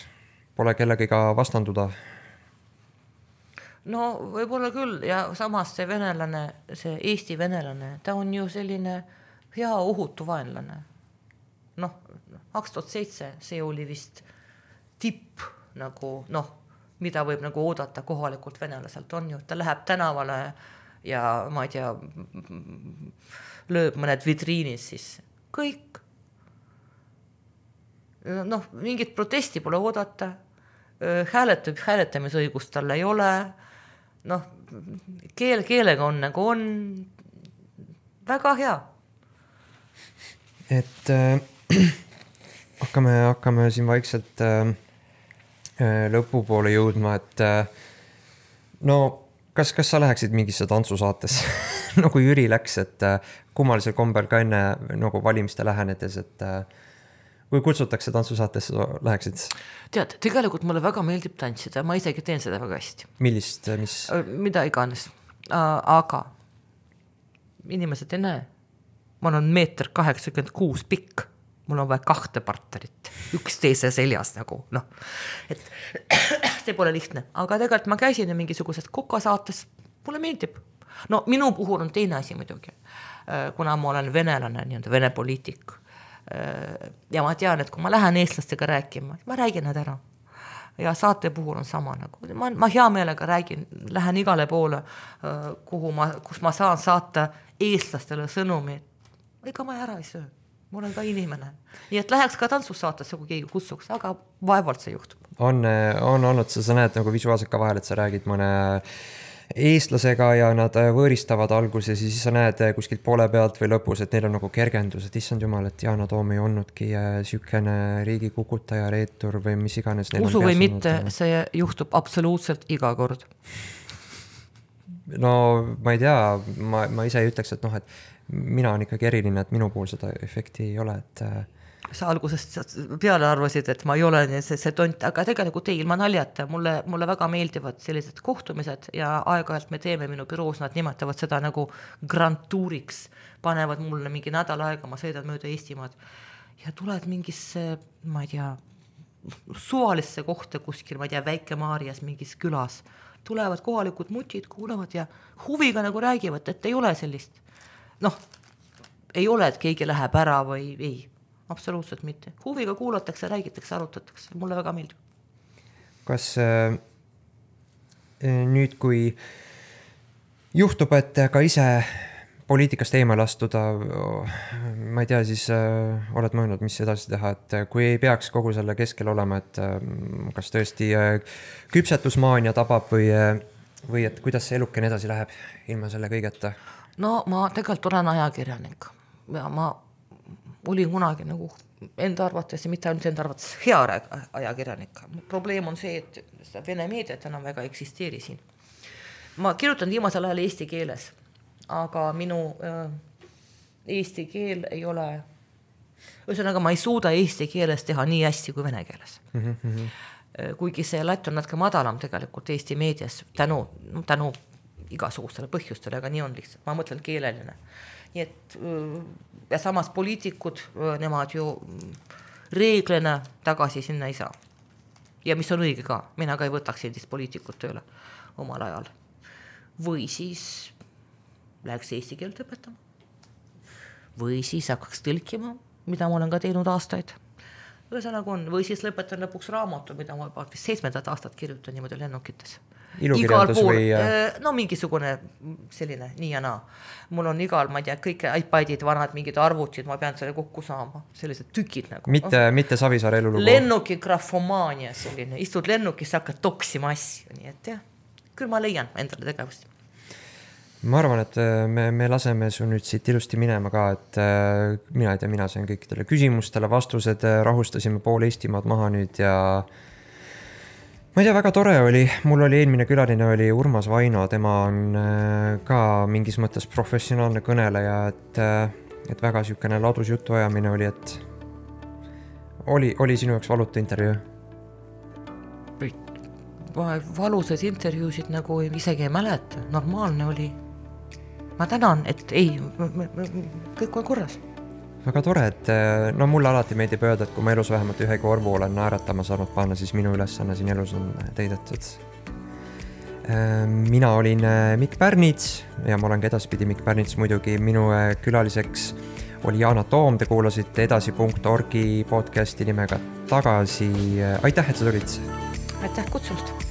pole kellegiga vastanduda. No võib-olla küll ja samas see venelane, see Eesti venelane, ta on ju selline hea ohutu vaenlane. 2007 see oli vist tipp nagu, mida võib nagu oodata kohalikult venelaselt on ju, ta läheb tänavale ja ma ei tea, lööb mõned vitriinid sisse. Kõik. Mingit protesti pole oodata. Hääletamisõigust tal ei ole. Keelega on nagu on. Väga hea. Et hakkame siin vaikselt lõpupoole jõudma, et Kas sa läheksid mingisse tantsusaatesse nagu Jüri läks, et kummalisel kombel ka enne nagu valimiste lähenedes, et kui kutsutakse tantsusaatesse, läheksid? Tead, tegelikult mulle väga meeldib tantsida, ma isegi teen seda väga hästi. Millist, mis? Mida iganes, aga inimesed ei näe. Mul on 1,86 m pikk, mul on vaja 2 partnerit, üksteise seljas nagu, et see pole lihtne, aga tegelikult ma käisin mingisugusest kokasaates, mulle meeldib. Minu puhul on teine asi muidugi, kuna ma olen venelane, vene poliitik. Ja ma tean, et kui ma lähen eestlastega rääkima, ma räägin nad ära. Ja saate puhul on sama nagu. Ma hea meelega lähen igale poole, kus ma saan saata eestlastele sõnumi, ega ma ära ei söö. Mul on ka inimene. Nii et läheks ka tantsussaatesse, kui keegi kutsuks, aga vaevalt see juhtub. On olnud, sa näed nagu visuaalselt ka vahel, et sa räägid mõne eestlasega ja nad võõristavad alguses ja siis sa näed kuskilt poole pealt või lõpus, et neil on nagu kergendus, et issand jumal, et Yana Toom ei olnudki sükene riigi kukutaja, reetur või mis iganes. Usu või mitte, see juhtub absoluutselt iga kord. No ma ei tea, ma ise ei ütleks, et et mina on ikkagi eriline, et minu puhul seda efekti ei ole, et sa algusest peale arvasid, et ma ei ole see tont, aga tegelikult ei, ilma naljata, mulle väga meeldivad sellised kohtumised ja aeg-ajalt me teeme minu büroos, nad nimetavad seda nagu grand tuuriks, panevad mulle mingi nädal aega, ma sõidan mööda Eestimaad ja tuled mingisse, ma ei tea, suvalisse kohta kuskil, ma ei tea, Väike-Maarjas mingis külas, tulevad kohalikud mutid, kuulavad ja huviga nagu räägivad, et ei ole sellist ei ole, et keegi läheb ära või ei, absoluutselt mitte. Huviga kuulatakse, räägitakse, arutatakse, mulle väga meeldib. Kas nüüd, kui juhtub, et ka ise poliitikast eemale astuda, ma ei tea, siis oled mõelnud, mis edasi teha, et kui ei peaks kogu selle keskel olema, et kas tõesti küpsetusmaania tabab või et kuidas see elukene edasi läheb ilma selle kõigeta? No ma tegelikult olen ajakirjanik ja ma olin kunagi nagu enda arvates ja mitte ainult enda arvates hea ajakirjanik. Probleem on see, et seda vene meediat enam väga eksisteeri siin. Ma kirjutan viimasel ajal eesti keeles, aga minu eesti keel ei ole Ühesõnaga, ma ei suuda eesti keeles teha nii hästi kui vene keeles. Kuigi see latt on natuke madalam tegelikult Eesti meedias tänu igasugustele põhjustele, aga nii on lihtsalt, ma mõtlen keeleline. Nii et ja samas poliitikud, nemad ju reeglina tagasi sinna ei saa. Ja mis on õige ka, mina ka ei võtaks endist poliitikut tööle omal ajal. Või siis läheks eesti keelt õpetama. Või siis hakkaks tõlkima, mida ma olen ka teinud aastaid. Ühesõnaga on, või siis lõpetan lõpuks raamatu, mida ma juba 7. aastat kirjutan niimoodi lennukites. Ilukirjandus või? No mingisugune selline nii ja naa. Mul on igal, ma ei tea, kõik iPadid, vanad mingid arvutid, ma pean selle kokku saama. Sellised tükid nagu. Mitte Savisaare elulugu? Lennuki grafomaania selline. Istud lennukis, hakkad toksima asju. Nii et jah, küll ma leian endale tegevust. Ma arvan, et me laseme su nüüd siit ilusti minema ka, et mina sain kõikidele küsimustele vastused, rahustasime pool Eestimaad maha nüüd ja ma ei tea, väga tore oli, mul oli eelmine külaline oli Urmas Vaino, tema on ka mingis mõttes professionaalne kõneleja, et väga sükene ladus jutuajamine oli, et oli sinu jaoks valuta intervjuu? Valusad intervjuusid nagu isegi ei mäleta, normaalne oli. Ma tänan, et ei, kõik on korras. Väga tore, et no mulle alati meeldib öelda, et kui ma elus vähemalt ühe korvu olen naeratama saanud panna, siis minu ülesanne siin elus on täidetud. Mina olin Mikk Pärnits ja ma olen ka edaspidi Mikk Pärnits muidugi. Minu külaliseks oli Yana Toom, te kuulasite edasi.org podcasti nimega Tagasi. Aitäh, et sa tulid! Aitäh kutsumast!